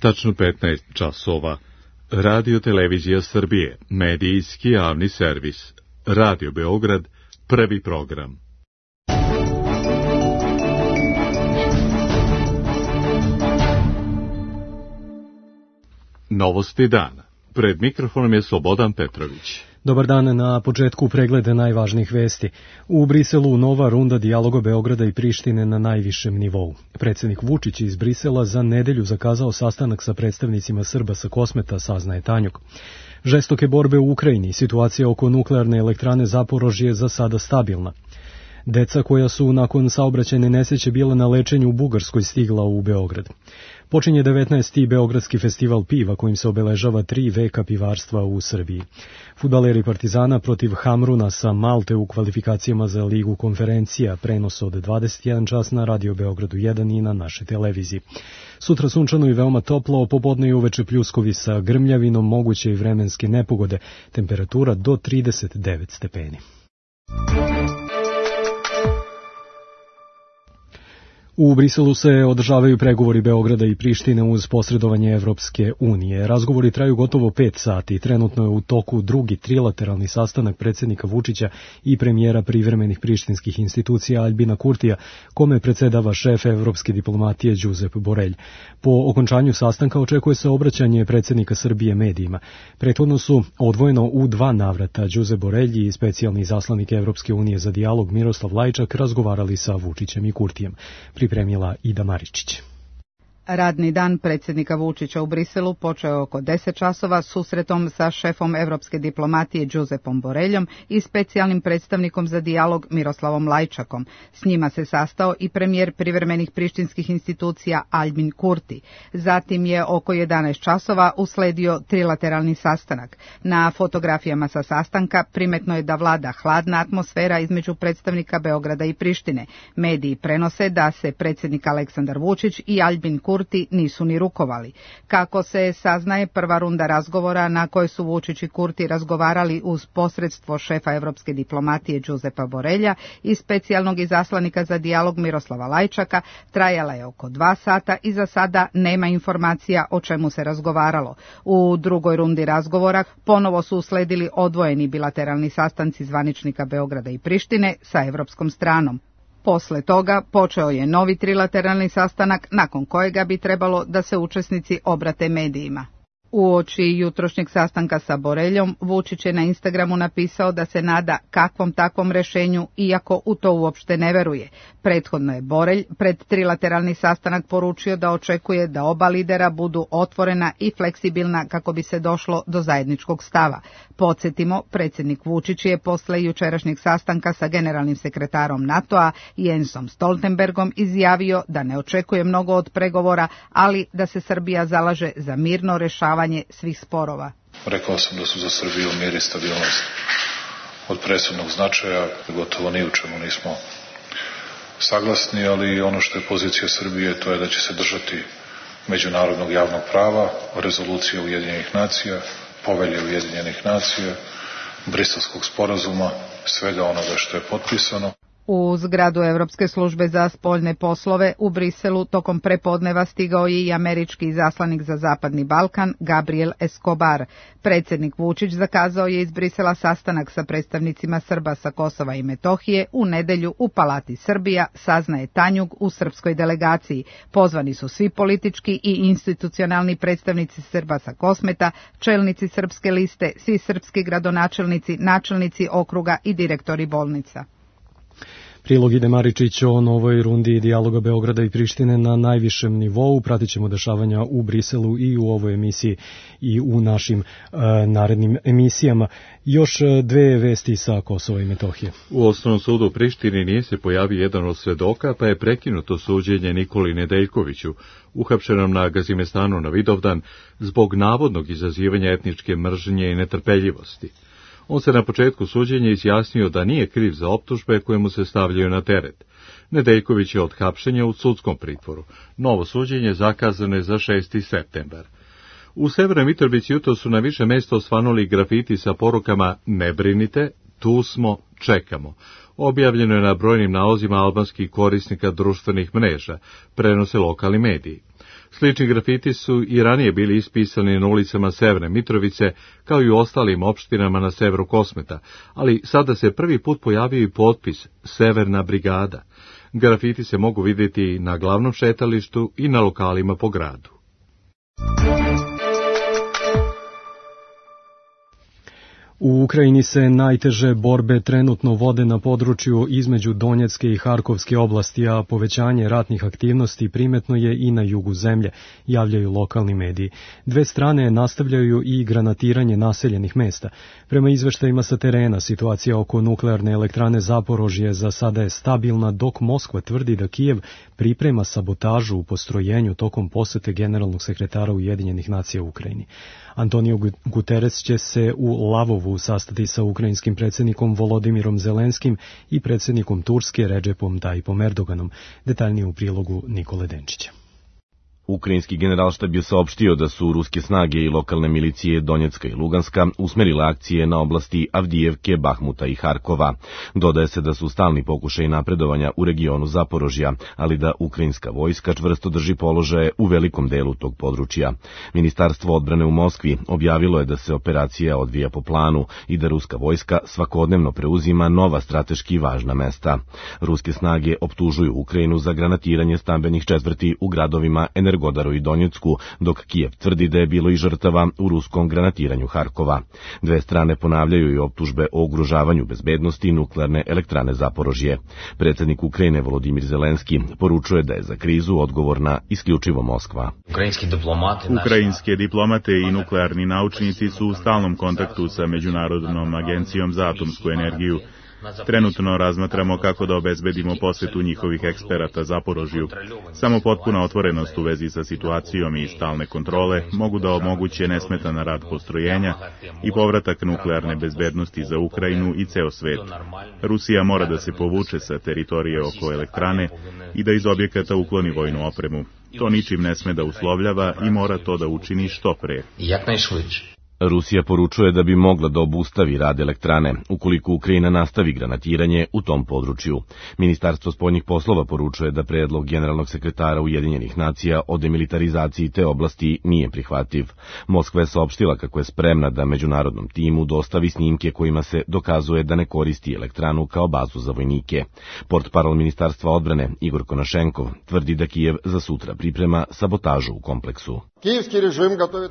Tačno 15 časova. Radio Televizija Srbije, medijski javni servis. Radio Beograd, prvi program. Novosti dana. Pred mikrofonom je Slobodan Petrović. Dobar dan, na početku pregleda najvažnijih vesti. U Briselu nova runda dijaloga Beograda i Prištine na najvišem nivou. Predsjednik Vučić iz Brisela za nedelju zakazao sastanak sa predstavnicima Srba sa Kosmeta, saznaje Tanjug. Žestoke borbe u Ukrajini, situacija oko nuklearne elektrane Zaporožje je za sada stabilna. Deca koja su nakon saobraćajne nesreće bila na lečenju u Bugarskoj stigla u Beograd. Počinje 19. Beogradski festival piva kojim se obeležava 3 veka pivarstva u Srbiji. Fudbaleri Partizana protiv Hamruna sa Malte u kvalifikacijama za Ligu konferencija, prenos od 21 čas na Radio Beogradu 1 i na našoj televiziji. Sutra sunčano i veoma toplo, popodne i uveče pljuskovi sa grmljavinom, moguće i vremenske nepogode, temperatura do 39 stepeni. U Briselu se održavaju pregovori Beograda i Prištine uz posredovanje Evropske unije. Razgovori traju gotovo 5 sati. Trenutno je u toku drugi trilateralni sastanak predsjednika Vučića i premijera privremenih prištinskih institucija Aljbina Kurtija, kome predsedava šef evropske diplomatije Josep Borrell. Po okončanju sastanka očekuje se obraćanje predsjednika Srbije medijima. Prethodno su odvojeno u 2 navrata Josep Borrell i specijalni izaslanik Evropske unije za dijalog Miroslav Lajčak razgovarali sa Vučićem i Kurtijem. Pripremila Ida Maričić. Radni dan predsjednika Vučića u Briselu počeo oko 10 časova susretom sa šefom evropske diplomatije Josepom Borrellom i specijalnim predstavnikom za dijalog Miroslavom Lajčakom. S njima se sastao i premijer privremenih prištinskih institucija Aljbin Kurti. Zatim je oko 11 časova usledio trilateralni sastanak. Na fotografijama sa sastanka primetno je da vlada hladna atmosfera između predstavnika Beograda i Prištine. Mediji prenose da se predsjednik Aleksandar Vučić i Aljbin Kurti nisu ni rukovali. Kako se saznaje, prva runda razgovora na kojoj su Vučić i Kurti razgovarali uz posredstvo šefa evropske diplomatije Josepa Borrella i specijalnog izaslanika za dijalog Miroslava Lajčaka trajala je oko 2 sata i za sada nema informacija o čemu se razgovaralo. U drugoj rundi razgovora ponovo su usledili odvojeni bilateralni sastanci zvaničnika Beograda i Prištine sa evropskom stranom. Posle toga počeo je novi trilateralni sastanak nakon kojega bi trebalo da se učesnici obrate medijima. Uoči jutrošnjeg sastanka sa Borrellom, Vučić je na Instagramu napisao da se nada kakvom takvom rešenju, iako u to uopšte ne veruje. Prethodno je Borrell pred trilateralni sastanak poručio da očekuje da oba lidera budu otvorena i fleksibilna kako bi se došlo do zajedničkog stava. Podsjetimo, predsjednik Vučić je posle jučerašnjeg sastanka sa generalnim sekretarom NATO-a Jensom Stoltenbergom izjavio da ne očekuje mnogo od pregovora, ali da se Srbija zalaže za mirno rešavanje svih sporova. Rekao sam da su za Srbiju mir i stabilnost od presudnog značaja, gotovo ni u čemu nismo saglasni, ali ono što je pozicija Srbije to je da će se držati međunarodnog javnog prava, rezolucije Ujedinjenih nacija, povelje Ujedinjenih nacija, Briselskog sporazuma, svega onoga što je potpisano. U zgradu Evropske službe za spoljne poslove u Briselu tokom prepodneva stigao je i američki izaslanik za Zapadni Balkan Gabriel Escobar. Predsjednik Vučić zakazao je iz Brisela sastanak sa predstavnicima Srba sa Kosova i Metohije u nedelju u Palati Srbija, saznaje Tanjug u srpskoj delegaciji. Pozvani su svi politički i institucionalni predstavnici Srba sa Kosmeta, čelnici srpske liste, svi srpski gradonačelnici, načelnici okruga i direktori bolnica. Prilog Ide Maričić o novoj rundi dijaloga Beograda i Prištine na najvišem nivou. Pratit ćemo dešavanja u Briselu i u ovoj emisiji i u našim narednim emisijama. Još 2 vesti sa Kosova i Metohije. U Osnovnom sudu u Prištini nije se pojavio jedan od svedoka, pa je prekinuto suđenje Nikoli Nedeljkoviću, uhapšenom na Gazimestanu na Vidovdan, zbog navodnog izazivanja etničke mržnje i netrpeljivosti. On se na početku suđenja izjasnio da nije kriv za optužbe koje mu se stavljaju na teret. Nedeljković je od hapšenja u sudskom pritvoru. Novo suđenje zakazano je za 6. septembar. U Severnoj Mitrovici jutro su na više mjesta osvanuli grafiti sa porukama "Ne brinite, tu smo, čekamo". Objavljeno je na brojnim nalozima albanskih korisnika društvenih mreža, prenose lokalni mediji. Slični grafiti su i ranije bili ispisani na ulicama Severne Mitrovice, kao i u ostalim opštinama na severu Kosmeta, ali sada se prvi put pojavio i potpis Severna brigada. Grafiti se mogu vidjeti na glavnom šetalištu i na lokalima po gradu. U Ukrajini se najteže borbe trenutno vode na području između Donjecke i Harkovske oblasti, a povećanje ratnih aktivnosti primetno je i na jugu zemlje, javljaju lokalni mediji. Dve strane nastavljaju i granatiranje naseljenih mesta. Prema izveštajima sa terena, situacija oko nuklearne elektrane Zaporožje za sada je stabilna, dok Moskva tvrdi da Kijev priprema sabotažu u postrojenju tokom posete generalnog sekretara Ujedinjenih nacija u Ukrajini. Antonio Guterres će se u Lavovu sastati sa ukrajinskim predsjednikom Volodimirom Zelenskim i predsjednikom Turske Redžepom Tayyipom Erdoganom. Detaljnije u prilogu Nikole Denčića. Ukrajinski generalštab je saopštio da su ruske snage i lokalne milicije Donjecka i Luganska usmerile akcije na oblasti Avdijevke, Bahmuta i Harkova. Dodaje se da su stalni pokušaj napredovanja u regionu Zaporožja, ali da ukrajinska vojska čvrsto drži položaje u velikom delu tog područja. Ministarstvo odbrane u Moskvi objavilo je da se operacija odvija po planu i da ruska vojska svakodnevno preuzima nova strateški važna mesta. Ruske snage optužuju Ukrajinu za granatiranje stambenih četvrti u gradovima Energodaru i Donjecku, dok Kijev tvrdi da je bilo i žrtava u ruskom granatiranju Harkova. Dve strane ponavljaju i optužbe o ugrožavanju bezbednosti nuklearne elektrane Zaporožje. Predsjednik Ukrajine Volodimir Zelenski poručuje da je za krizu odgovorna isključivo Moskva. Ukrajinske diplomate i nuklearni naučnici su u stalnom kontaktu sa Međunarodnom agencijom za atomsku energiju. Trenutno razmatramo kako da obezbedimo posjetu njihovih eksperata Zaporožju. Samo potpuna otvorenost u vezi sa situacijom i stalne kontrole mogu da omoguće nesmetan rad postrojenja i povratak nuklearne bezbednosti za Ukrajinu i ceo svet. Rusija mora da se povuče sa teritorije oko elektrane i da iz objekata ukloni vojnu opremu. To ničim ne sme da uslovljava i mora to da učini što pre. Rusija poručuje da bi mogla da obustavi rad elektrane, ukoliko Ukrajina nastavi granatiranje u tom području. Ministarstvo spoljnih poslova poručuje da predlog generalnog sekretara Ujedinjenih nacija o demilitarizaciji te oblasti nije prihvatljiv. Moskva je saopštila kako je spremna da međunarodnom timu dostavi snimke kojima se dokazuje da ne koristi elektranu kao bazu za vojnike. Portparol Ministarstva odbrane Igor Konašenkov tvrdi da Kijev za sutra priprema sabotažu u kompleksu.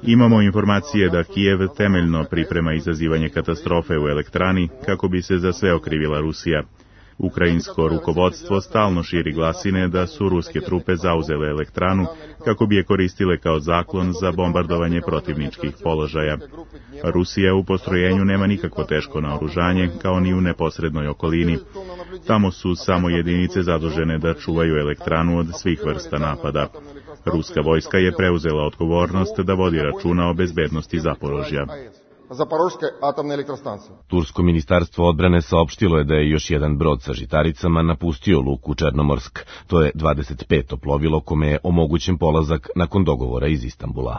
Imamo informacije da Kijev temeljno priprema izazivanje katastrofe u elektrani kako bi se za sve okrivila Rusija. Ukrajinsko rukovodstvo stalno širi glasine da su ruske trupe zauzele elektranu kako bi je koristile kao zaklon za bombardovanje protivničkih položaja. Rusija u postrojenju nema nikakvo teško naoružanje, kao ni u neposrednoj okolini. Tamo su samo jedinice zadužene da čuvaju elektranu od svih vrsta napada. Ruska vojska je preuzela odgovornost da vodi računa o bezbednosti Zaporožja. Tursko ministarstvo odbrane saopštilo je da je još jedan brod sa žitaricama napustio luku Černomorsk. To je 25. plovilo kome je omogućen polazak nakon dogovora iz Istanbula.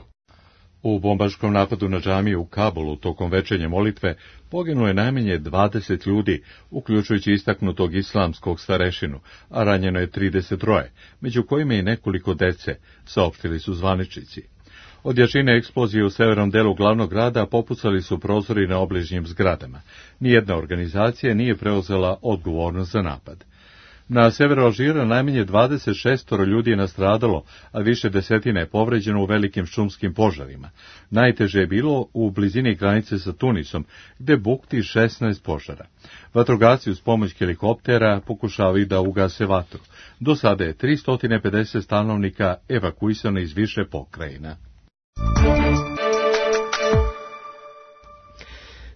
U bombaškom napadu na džamiju u Kabulu tokom večernje molitve poginulo je najmanje 20 ljudi, uključujući istaknutog islamskog starešinu, a ranjeno je 33, među kojima i nekoliko dece, saopštili su zvaničnici. Od jačine eksplozije u severnom delu glavnog grada popucali su prozori na obližnjim zgradama. Nijedna organizacija nije preuzela odgovornost za napad. Na severu Alžira najmanje 26 ljudi je nastradalo, a više desetina je povređeno u velikim šumskim požarima. Najteže je bilo u blizini granice sa Tunisom, gde bukti 16 požara. Vatrogasci uz pomoć helikoptera pokušavaju da ugase vatru. Do sada je 350 stanovnika evakuisano iz više pokrajina.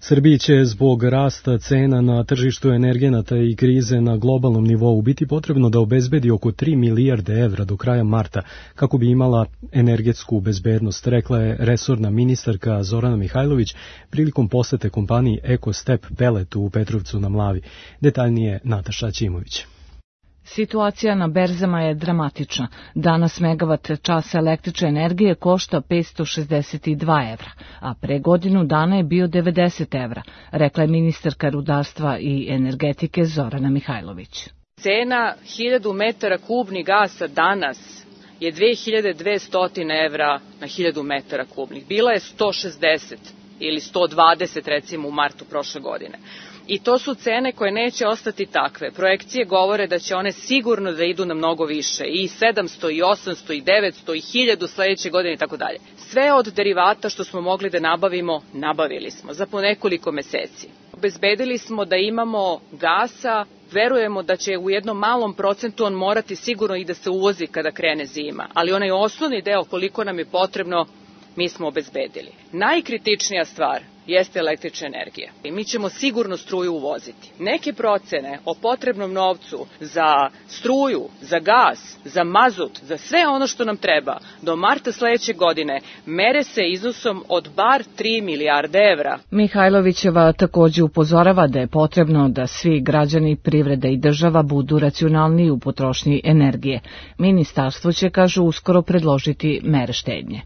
Srbiji će zbog rasta cena na tržištu energenata i krize na globalnom nivou biti potrebno da obezbedi oko 3 milijarde evra do kraja marta kako bi imala energetsku bezbednost, rekla je resorna ministarka Zorana Mihajlović prilikom posete kompaniji EcoStep Pellet u Petrovcu na Mlavi. Detaljnije Nataša Ćimović. Situacija na berzama je dramatična. Danas megavat časa električne energije košta 562 evra, a pre godinu dana je bio 90 evra, rekla je ministarka rudarstva i energetike Zorana Mihajlović. Cena 1000 metara kubnih gasa danas je 2200 evra na 1000 metara kubnih. Bila je 160 ili 120 recimo u martu prošle godine. I to su cene koje neće ostati takve. Projekcije govore da će one sigurno da idu na mnogo više. I 700, i 800, i 900, i 1000 sledeće godine i tako dalje. Sve od derivata što smo mogli da nabavimo, nabavili smo za po nekoliko meseci. Obezbedili smo da imamo gasa, verujemo da će u jednom malom procentu on morati sigurno i da se uvozi kada krene zima. Ali onaj osnovni deo koliko nam je potrebno, mi smo obezbedili. Najkritičnija stvar jeste električna energija. I mi ćemo sigurno struju uvoziti. Neke procene o potrebnom novcu za struju, za gas, za mazut, za sve ono što nam treba do marta sledeće godine mere se iznosom od bar 3 milijarde evra. Mihajlovićeva takođe upozorava da je potrebno da svi građani, privreda i država budu racionalniji u potrošnji energije. Ministarstvo će, kažu, uskoro predložiti mere štednje.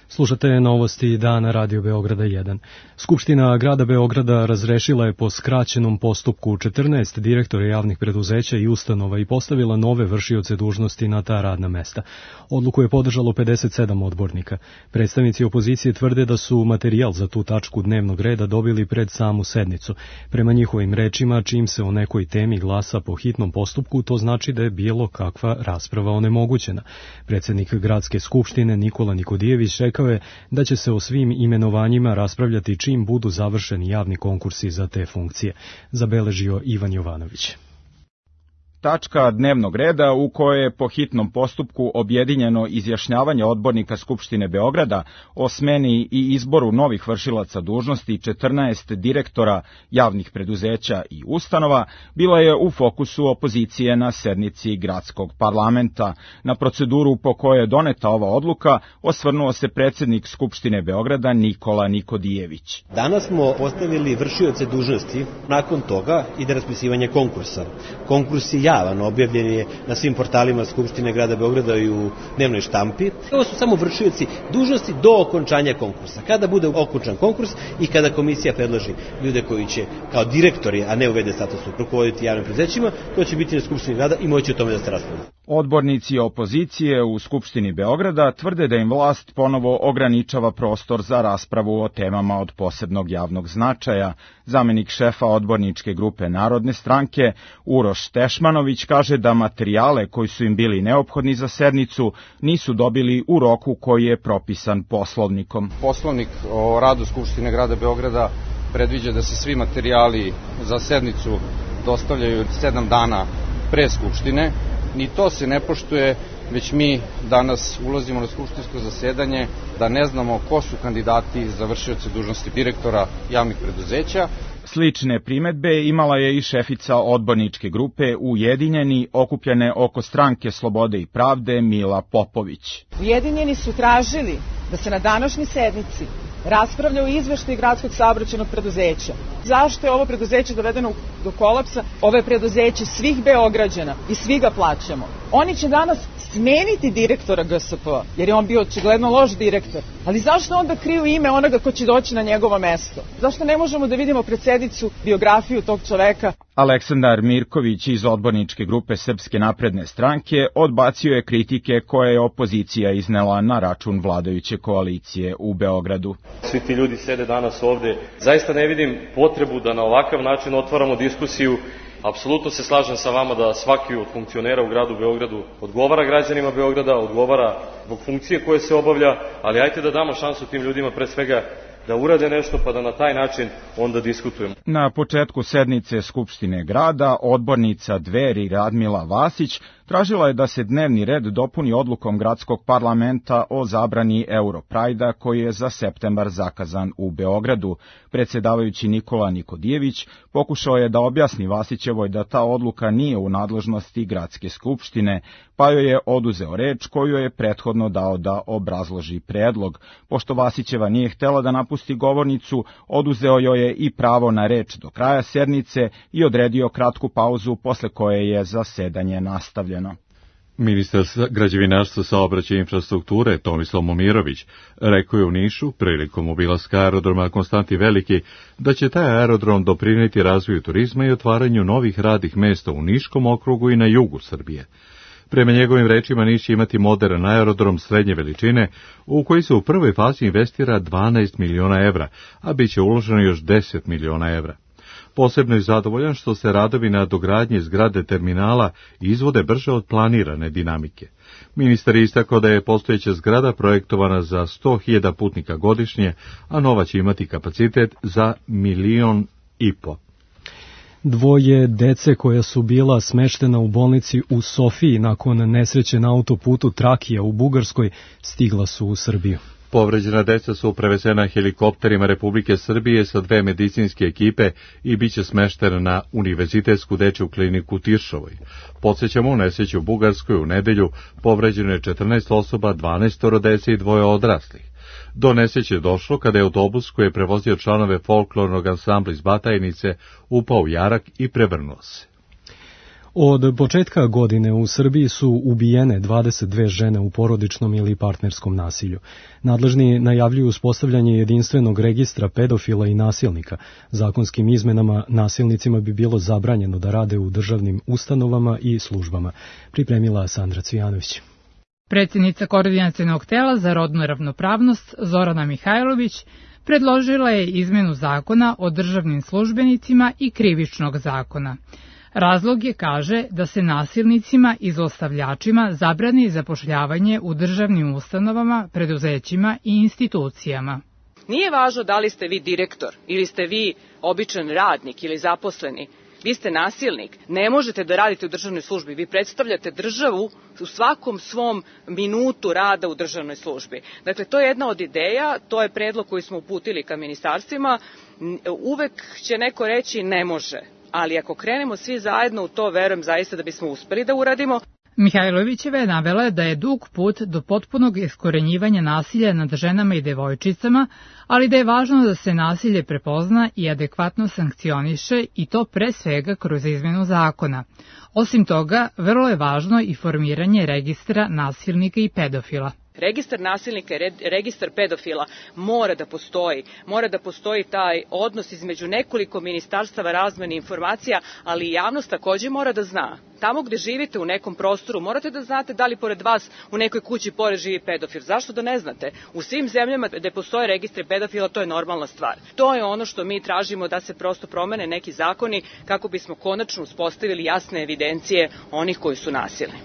Slušate novosti dana Radio Beograda 1. Skupština grada Beograda razrešila je po skraćenom postupku 14 direktora javnih preduzeća i ustanova i postavila nove vršioce dužnosti na ta radna mesta. Odluku je podržalo 57 odbornika. Predstavnici opozicije tvrde da su materijal za tu tačku dnevnog reda dobili pred samu sednicu. Prema njihovim rečima, čim se o nekoj temi glasa po hitnom postupku, to znači da je bilo kakva rasprava onemogućena. Predsednik gradske skupštine Nikola Nikodijević rekao je da će se o svim imenovanjima raspravljati čim budu završeni javni konkursi za te funkcije, zabeležio Ivan Jovanović. Tačka dnevnog reda u kojoj je po hitnom postupku objedinjeno izjašnjavanje odbornika Skupštine Beograda o smeni i izboru novih vršilaca dužnosti 14 direktora javnih preduzeća i ustanova, bila je u fokusu opozicije na sednici gradskog parlamenta. Na proceduru po kojoj je doneta ova odluka osvrnuo se predsednik Skupštine Beograda Nikola Nikodijević. Danas smo postavili vršioce dužnosti, nakon toga ide raspisivanje konkursa. Konkurs je javan, objavljen je na svim portalima Skupštine grada Beograda i u dnevnoj štampi. Ovo su samo vršioci dužnosti do okončanja konkursa. Kada bude okončan konkurs i kada komisija predloži ljude koji će kao direktori, a ne u v.d. statusu, rukovoditi javnim preduzećima, to će biti na Skupštini grada i moći o tome da se raspravlja. Odbornici opozicije u Skupštini Beograda tvrde da im vlast ponovo ograničava prostor za raspravu o temama od posebnog javnog značaja. Zamenik šefa odborničke grupe Narodne stranke Uroš Tešmanović kaže da materijale koji su im bili neophodni za sednicu nisu dobili u roku koji je propisan Poslovnikom. Poslovnik o radu Skupštine grada Beograda predviđa da se svi materijali za sednicu dostavljaju 7 dana pre Skupštine. Ni to se ne poštuje, već mi danas ulazimo na skupštinsko zasedanje da ne znamo ko su kandidati za vršioce dužnosti direktora javnih preduzeća. Slične primetbe imala je i šefica odborničke grupe Ujedinjeni, okupljene oko Stranke slobode i pravde Mila Popović. Ujedinjeni su tražili da se na današnjoj sednici raspravlja o izveštaju gradskog saobraćajnog preduzeća. Zašto je ovo preduzeće dovedeno do kolapsa? Ovo je preduzeće svih Beograđana i svi ga plaćamo. Oni će danas smeniti direktora GSP, jer je on bio očigledno loš direktor. Ali zašto onda kriju ime onoga ko će doći na njegovo mesto? Zašto ne možemo da vidimo pred sednicu biografiju tog čoveka? Aleksandar Mirković iz odborničke grupe Srpske napredne stranke odbacio je kritike koje je opozicija iznela na račun vladajuće koalicije u Beogradu. Svi ti ljudi sede danas ovde. Zaista ne vidim potrebu da na ovakav način otvaramo diskusiju. Apsolutno se slažem sa vama da svaki od funkcionera u gradu Beogradu odgovara građanima Beograda, odgovara zbog funkcije koje se obavlja, ali ajte da damo šansu tim ljudima pre svega da urade nešto pa da na taj način onda diskutujemo. Na početku sednice Skupštine grada odbornica Dveri Radmila Vasić tražila je da se dnevni red dopuni odlukom gradskog parlamenta o zabrani Europrajda koji je za septembar zakazan u Beogradu. Predsjedavajući Nikola Nikodijević pokušao je da objasni Vasićevoj da ta odluka nije u nadležnosti gradske skupštine, pa joj je oduzeo reč koju je prethodno dao da obrazloži predlog. Pošto Vasićeva nije htela da napusti govornicu, oduzeo joj je i pravo na reč do kraja sednice i odredio kratku pauzu posle koje je zasedanje nastavljeno. Ministar građevinarstva, saobraćaja i infrastrukture Tomislav Momirović rekao je u Nišu prilikom obilaska aerodroma Konstantin Veliki da će taj aerodrom doprineti razvoju turizma i otvaranju novih radnih mesta u Niškom okrugu i na jugu Srbije. Prema njegovim rečima, Niš će imati modern aerodrom srednje veličine u koji se u prvoj fazi investira 12 miliona evra, a bit će uloženo još 10 miliona evra. Posebno je zadovoljan što se radovi na dogradnji zgrade terminala izvode brže od planirane dinamike. Ministar je istakao da je postojeća zgrada projektovana za 100.000 putnika godišnje, a nova će imati kapacitet za 1,5 miliona. Dvoje dece koja su bila smeštena u bolnici u Sofiji nakon nesreće na autoputu Trakija u Bugarskoj stigla su u Srbiju. Povređena deca su prevezena helikopterima Republike Srbije sa 2 medicinske ekipe i bit će smeštena na Univerzitetsku dečju kliniku u Tiršovoj. Podsjećamo, u nesreći u Bugarskoj u nedelju povređeno je 14 osoba, 12 dece i 2 odraslih. Do nesreće je došlo kada je autobus koji je prevozio članove folklornog ansambla iz Batajnice upao u jarak i prevrnuo se. Od početka godine u Srbiji su ubijene 22 žene u porodičnom ili partnerskom nasilju. Nadležni najavljuju uspostavljanje jedinstvenog registra pedofila i nasilnika. Zakonskim izmenama nasilnicima bi bilo zabranjeno da rade u državnim ustanovama i službama. Pripremila Sandra Cvijanović. Predsjednica Koordinacionog tela za rodnu ravnopravnost Zorana Mihajlović predložila je izmenu zakona o državnim službenicima i krivičnog zakona. Razlog je, kaže, da se nasilnicima i zlostavljačima zabrani zapošljavanje u državnim ustanovama, preduzećima i institucijama. Nije važno da li ste vi direktor ili ste vi običan radnik ili zaposleni. Vi ste nasilnik, ne možete da radite u državnoj službi, vi predstavljate državu u svakom svom minutu rada u državnoj službi. Dakle, to je jedna od ideja, to je predlog koji smo uputili ka ministarstvima, uvek će neko reći ne može, ali ako krenemo svi zajedno u to, verujem zaista da bismo uspeli da uradimo. Mihajlovićeva je navela da je dug put do potpunog iskorenjivanja nasilja nad ženama i devojčicama, ali da je važno da se nasilje prepozna i adekvatno sankcioniše i to pre svega kroz izmenu zakona. Osim toga, vrlo je važno i formiranje registra nasilnika i pedofila. Registar nasilnika i registar pedofila mora da postoji taj odnos između nekoliko ministarstava razmene informacija, ali i javnost takođe mora da zna. Tamo gde živite u nekom prostoru morate da znate da li pored vas u nekoj kući pored živi pedofil. Zašto da ne znate? U svim zemljama gde postoje registri pedofila to je normalna stvar. To je ono što mi tražimo, da se prosto promene neki zakoni kako bismo konačno uspostavili jasne evidencije onih koji su nasilni.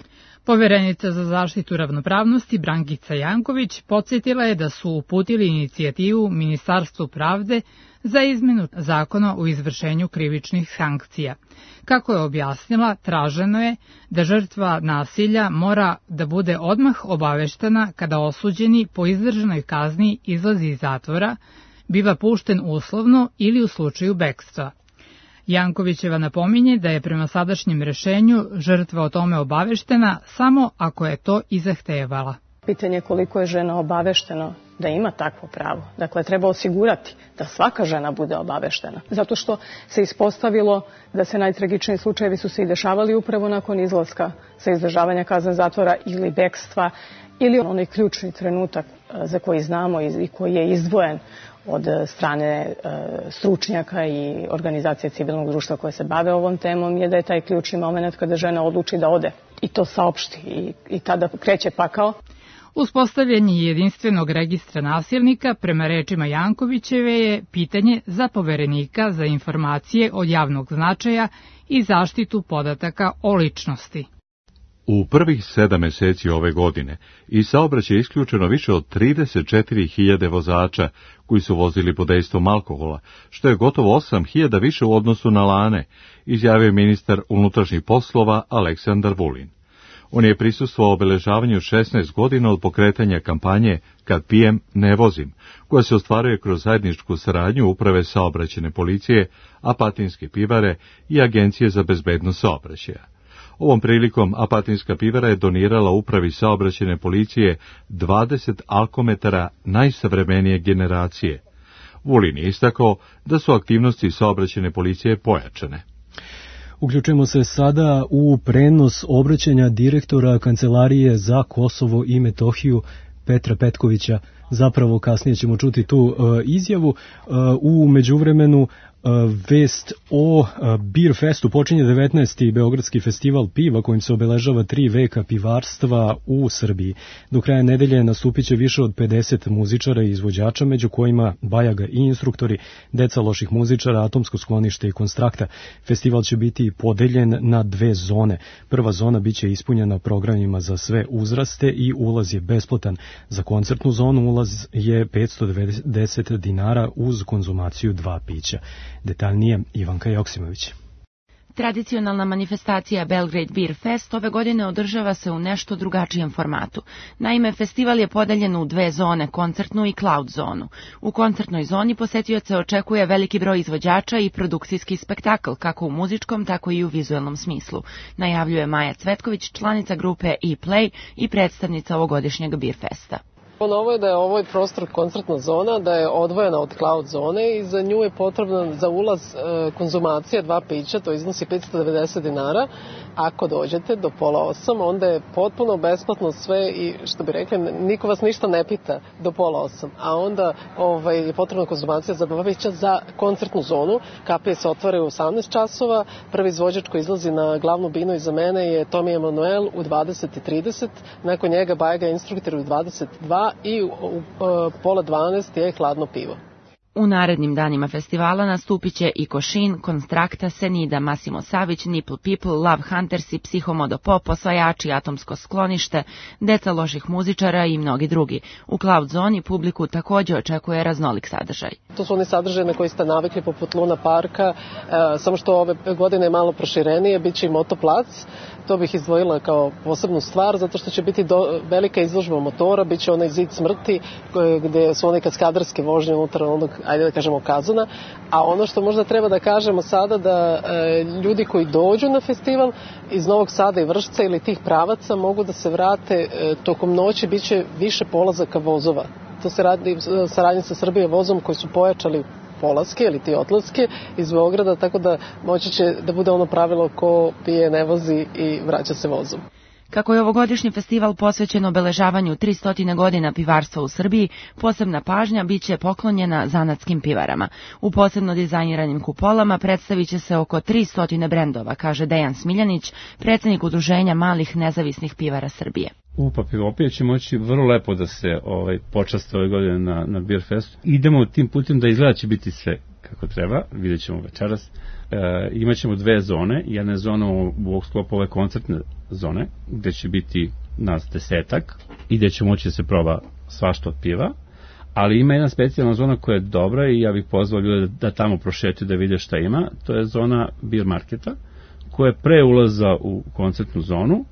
Poverenica za zaštitu ravnopravnosti Brankica Janković podsjetila je da su uputili inicijativu Ministarstvu pravde za izmenu zakona o izvršenju krivičnih sankcija. Kako je objasnila, traženo je da žrtva nasilja mora da bude odmah obaveštena kada osuđeni po izdržanoj kazni izlazi iz zatvora, biva pušten uslovno ili u slučaju bekstva. Jankovićeva napominje da je prema sadašnjem rešenju žrtva o tome obaveštena samo ako je to i zahtevala. Pitanje je koliko je žena obavešteno da ima takvo pravo. Dakle, treba osigurati da svaka žena bude obaveštena. Zato što se ispostavilo da se najtragičniji slučajevi su se i dešavali upravo nakon izlaska sa izdržavanja kazne zatvora ili bekstva, ili onaj ključni trenutak za koji znamo i koji je izdvojen od strane stručnjaka i organizacije civilnog društva koje se bave ovom temom, je da je taj ključni moment kada žena odluči da ode i to saopšti i tada kreće pakao. Uspostavljanje jedinstvenog registra nasilnika, prema rečima Jankovićeve, je pitanje za Poverenika za informacije od javnog značaja i zaštitu podataka o ličnosti. U prvih 7 meseci ove godine iz saobraćaja je isključeno više od 34.000 vozača koji su vozili pod dejstvom alkohola, što je gotovo 8.000 više u odnosu na lane, izjavio ministar unutrašnjih poslova Aleksandar Vulin. On je prisustvovao obeležavanju 16 godina od pokretanja kampanje Kad pijem, ne vozim, koja se ostvaruje kroz zajedničku saradnju Uprave saobraćajne policije, Apatinske pivare i Agencije za bezbednost saobraćaja. Ovom prilikom Apatinska pivara je donirala Upravi saobraćajne policije 20 alkometara najsavremenije generacije. Vulin je istakao da su aktivnosti saobraćajne policije pojačane. Uključujemo se sada u prenos obraćanja direktora Kancelarije za Kosovo i Metohiju Petra Petkovića. Zapravo kasnije ćemo čuti tu izjavu. U međuvremenu Vest o Beer Festu. Počinje 19. Beogradski festival piva kojim se obeležava 3 veka pivarstva u Srbiji. Do kraja nedelje nastupit će više od 50 muzičara i izvođača, među kojima Bajaga i instruktori, deca loših muzičara, Atomsko sklonište i Konstrakta. Festival će biti podeljen na 2 zone. Prva zona biće ispunjena programima za sve uzraste i ulaz je besplatan. Za koncertnu zonu ulaz je 590 dinara uz konzumaciju 2 pića. Detaljnije Ivanka Joksimović. Tradicionalna manifestacija Belgrade Beer Fest ove godine održava se u nešto drugačijem formatu. Naime, festival je podeljen u 2 zone, koncertnu i cloud zonu. U koncertnoj zoni posetioce očekuje veliki broj izvođača i produkcijski spektakl, kako u muzičkom, tako i u vizuelnom smislu, najavljuje Maja Cvetković, članica grupe E-Play i predstavnica ovogodišnjeg Beer Festa. Novo je da je ovo prostor koncertna zona, da je odvojena od cloud zone i za nju je potrebna za ulaz konzumacija 2 pića, to iznosi 590 dinara. Ako dođete do 7:30, onda je potpuno besplatno sve i što bi rekli, niko vas ništa ne pita do 7:30, a onda je potrebna konzumacija za 2 pića za koncertnu zonu. Kapije se otvaraju u 18 časova, prvi izvođač koji izlazi na glavnu binu iza mene je Tomi Emanuel u 20:30, nakon njega Bajaga instruktor u 22 i u 11:30 je hladno pivo. U narednim danima festivala nastupit će i Košin, Konstrakta, Senida, Massimo Savić, Nipple People, Love Hunters i Psihomodo Pop, Osvajači, Atomsko sklonište, deca loših muzičara i mnogi drugi. U cloud zoni publiku također očekuje raznolik sadržaj. To su oni sadržaje na koji ste navikli poput Luna parka, samo što ove godine je malo proširenije, bit će i motoplac. To bih izdvojila kao posebnu stvar, zato što će biti velika izložba motora, bit će onaj zid smrti gdje su one kaskadarske vožnje unutar onog, ajde da kažemo, kazana. A ono što možda treba da kažemo sada, da ljudi koji dođu na festival iz Novog Sada i Vršca ili tih pravaca mogu da se vrate tokom noći, bit će više polazaka vozova. To se radi saradnje sa Srbije vozom koji su pojačali polaske ili ti otlaske iz Beograda, tako da moći će da bude ono pravilo ko pije ne vozi i vraća se vozom. Kako je ovogodišnji festival posvećen obeležavanju 300 godina pivarstva u Srbiji, posebna pažnja bit će poklonjena zanatskim pivarama. U posebno dizajniranim kupolama predstavit će se oko 300 brendova, kaže Dejan Smiljanić, predsjednik Udruženja malih nezavisnih pivara Srbije. UPA Pivopija će moći vrlo lepo da se počaste ove godine na Beer Festu. Idemo tim putem da izgleda će biti sve kako treba, vidjet ćemo večeras. Imaćemo 2 zone, jedna je zona u sklopu ove koncertne zone, gde će biti nas 10 i gde će moći da se proba svašta od piva, ali ima jedna specijalna zona koja je dobra i ja bih pozvao ljude da tamo prošetaju da vide šta ima. To je zona beer marketa, koja je pre ulaza u koncertnu zonu,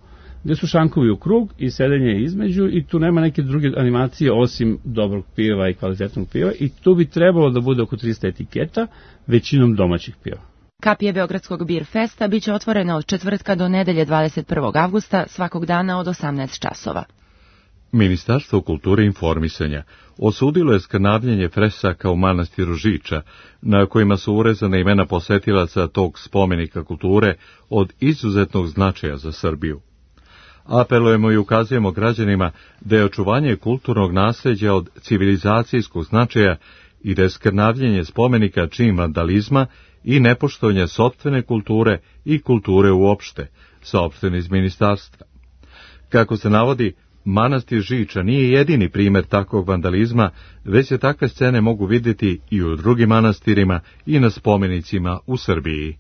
gde su šankovi u krug i sedenje između i tu nema neke druge animacije osim dobrog piva i kvalitetnog piva i tu bi trebalo da bude oko 300 etiketa, većinom domaćih piva. Kapije Beogradskog Beer Festa biće otvorene od četvrtka do nedelje 21. avgusta, svakog dana od 18 časova. Ministarstvo kulture i informisanja osudilo je skrnavljenje fresaka u manastiru Žiča, na kojima su urezane imena posetilaca tog spomenika kulture od izuzetnog značaja za Srbiju. Apelujemo i ukazujemo građanima da je očuvanje kulturnog nasljeđa od civilizacijskog značaja i da je skrnavljenje spomenika čin vandalizma i nepoštovanje sopstvene kulture i kulture uopšte, saopšteno iz ministarstva. Kako se navodi, manastir Žiča nije jedini primjer takvog vandalizma, već se takve scene mogu vidjeti i u drugim manastirima i na spomenicima u Srbiji.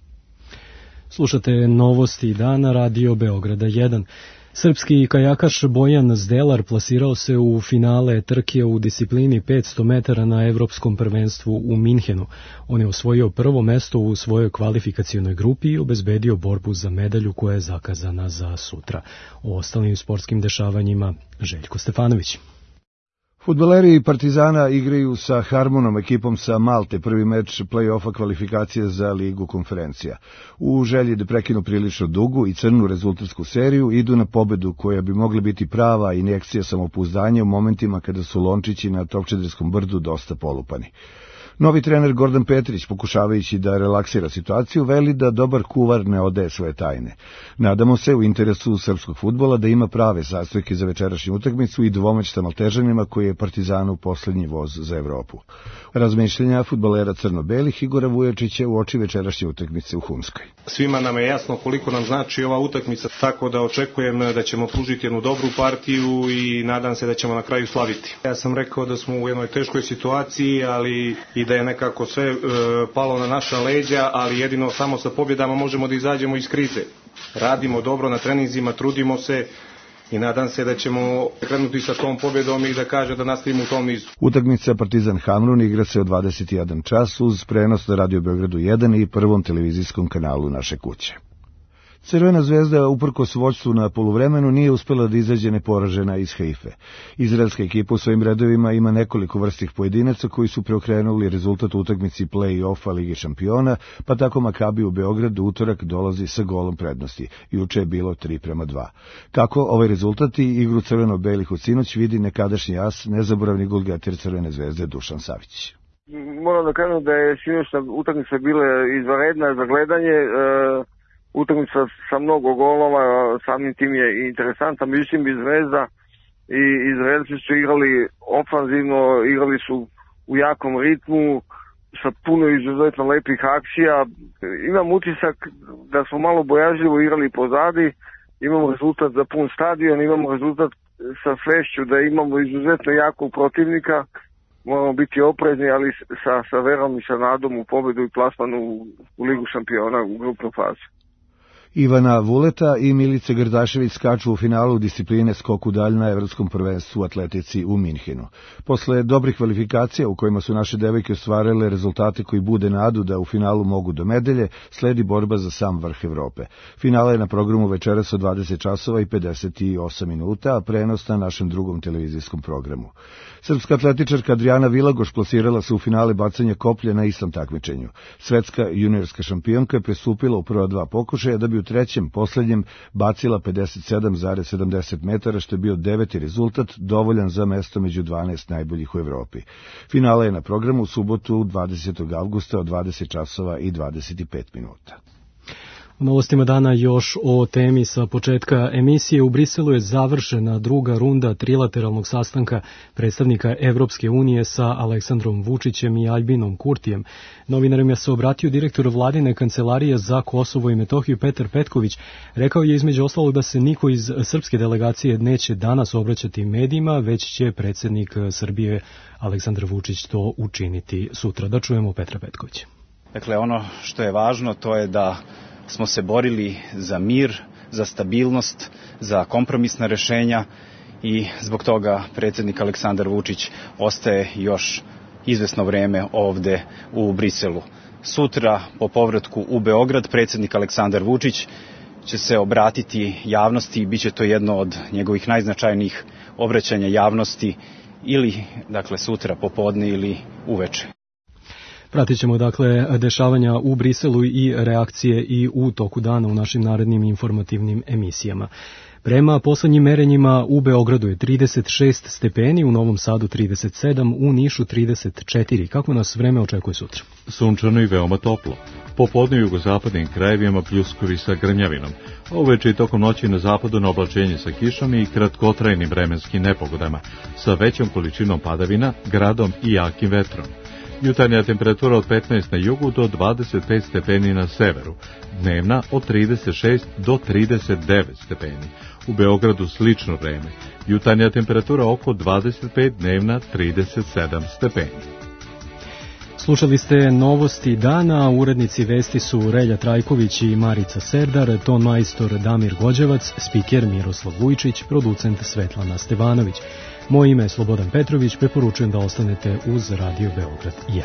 Slušate novosti dana Radio Beograda 1. Srpski kajakaš Bojan Zdelar plasirao se u finale trke u disciplini 500 metara na Evropskom prvenstvu u Minhenu. On je osvojio prvo mesto u svojoj kvalifikacionoj grupi i obezbedio borbu za medalju koja je zakazana za sutra. O ostalim sportskim dešavanjima Željko Stefanović. Fudbaleri Partizana igraju sa Harmonom, ekipom sa Malte, prvi meč play-offa kvalifikacije za Ligu konferencija. U želji da prekinu prilično dugu i crnu rezultatsku seriju, idu na pobedu koja bi mogla biti prava injekcija samopouzdanja u momentima kada su lončići na Topčederskom brdu dosta polupani. Novi trener Gordan Petrić, pokušavajući da relaksira situaciju, veli da dobar kuvar ne odaje svoje tajne. Nadamo se u interesu srpskog fudbala da ima prave sastojke za večerašnju utakmicu i dvomeć sa Maltežanima koji je Partizanu poslednji voz za Evropu. Razmišljenja fudbalera crno-belih Igora Vujačića u oči večerašnje utakmice u Hunskoj. Svima nam je jasno koliko nam znači ova utakmica, tako da očekujem da ćemo pružiti jednu dobru partiju i nadam se da ćemo na kraju slaviti. Ja sam rekao da smo u jednoj teškoj situaciji, ali i da je nekako sve palo na naša leđa, ali jedino samo sa pobjedama možemo da izađemo iz krize. Radimo dobro na treninzima, trudimo se i nadam se da ćemo krenuti sa tom pobjedom i da kaže da nastavimo u tom nizu. Utakmica Partizan Hamrun igra se od 21 čas uz prenos na Radio Beogradu 1 i prvom televizijskom kanalu naše kuće. Crvena zvezda, uprkos vođstvu na poluvremenu, nije uspela da izađe neporažena iz Haife. Izraelska ekipa u svojim redovima ima nekoliko vrstih pojedinaca koji su preokrenuli rezultat u utakmici play-offa Lige šampiona, pa tako Makabi u Beogradu utorak dolazi sa golom prednosti. Juče je bilo 3:2. Kako ovaj rezultat i igru crveno-belih u sinoć vidi nekadašnji as, nezaboravni golgeter Crvene zvezde Dušan Savić. Moram da kažem da je sinoćna utakmica bila izvanredna za gledanje, utakmica sa mnogo golova, samim tim je interesantna, međutim i Zvezda i Izraelci su igrali ofanzivno, igrali su u jakom ritmu, sa puno izuzetno lepih akcija. Imam utisak da smo malo bojažljivo igrali pozadi, imamo rezultat za pun stadion, imamo rezultat sa svešću da imamo izuzetno jakog protivnika, moramo biti oprezni, ali sa verom i sa nadom u pobedu i plasmanu u Ligu šampiona u grupnu fazu. Ivana Vuleta i Milica Grdašević skaču u finalu discipline skok u dalj na evropskom prvenstvu u atletici u Minhenu. Posle dobrih kvalifikacija u kojima su naše devojke ostvarile rezultate koji bude nadu da u finalu mogu do medalje, sledi borba za sam vrh Evrope. Finala je na programu večeras od 20 časova i 58 minuta, a prenos na našem drugom televizijskom programu. Srpska atletičarka Adriana Vilagoš plasirala se u finale bacanja koplja na istom takmičenju. Svetska juniorska šampionka je prestupila u prva dva pokušaja da bi u trećem, poslednjem, bacila 57,70 metara, što je bio 9. rezultat, dovoljan za mesto među 12 najboljih u Evropi. Finala je na programu u subotu 20. avgusta od 20 časova i 25 minuta. U novostima dana još o temi sa početka emisije. U Briselu je završena druga runda trilateralnog sastanka predstavnika Evropske unije sa Aleksandrom Vučićem i Aljbinom Kurtijem. Novinarima se obratio direktor vladine kancelarije za Kosovo i Metohiju Petar Petković. Rekao je između ostalog da se niko iz srpske delegacije neće danas obraćati medijima, već će predsjednik Srbije Aleksandar Vučić to učiniti sutra. Da čujemo Petra Petkovića. Dakle, ono što je važno to je da smo se borili za mir, za stabilnost, za kompromisna rešenja i zbog toga predsjednik Aleksandar Vučić ostaje još izvesno vreme ovde u Briselu. Sutra po povratku u Beograd predsjednik Aleksandar Vučić će se obratiti javnosti i bit će to jedno od njegovih najznačajnijih obraćanja javnosti ili dakle sutra popodne ili uveče. Pratit ćemo dakle dešavanja u Briselu i reakcije i u toku dana u našim narednim informativnim emisijama. Prema poslednjim merenjima u Beogradu je 36 stepeni, u Novom Sadu 37, u Nišu 34. Kako nas vreme očekuje sutra? Sunčano i veoma toplo. Popodne u jugozapadnim krajevima pljuskovi sa grmljavinom. Uveče i tokom noći na zapadu na oblačenje sa kišom i kratkotrajnim vremenskim nepogodama, sa većom količinom padavina, gradom i jakim vetrom. Jutarnja temperatura od 15 na jugu do 25 stepeni na severu, dnevna od 36 do 39 stepeni. U Beogradu slično vreme, jutarnja temperatura oko 25, dnevna 37 stepeni. Slušali ste novosti dana, urednici vesti su Relja Trajković i Marica Serdar, ton majstor Damir Gođevac, spiker Miroslav Vujčić, producent Svetlana Stevanović. Moje ime je Slobodan Petrović, preporučujem da ostanete uz Radio Beograd 1.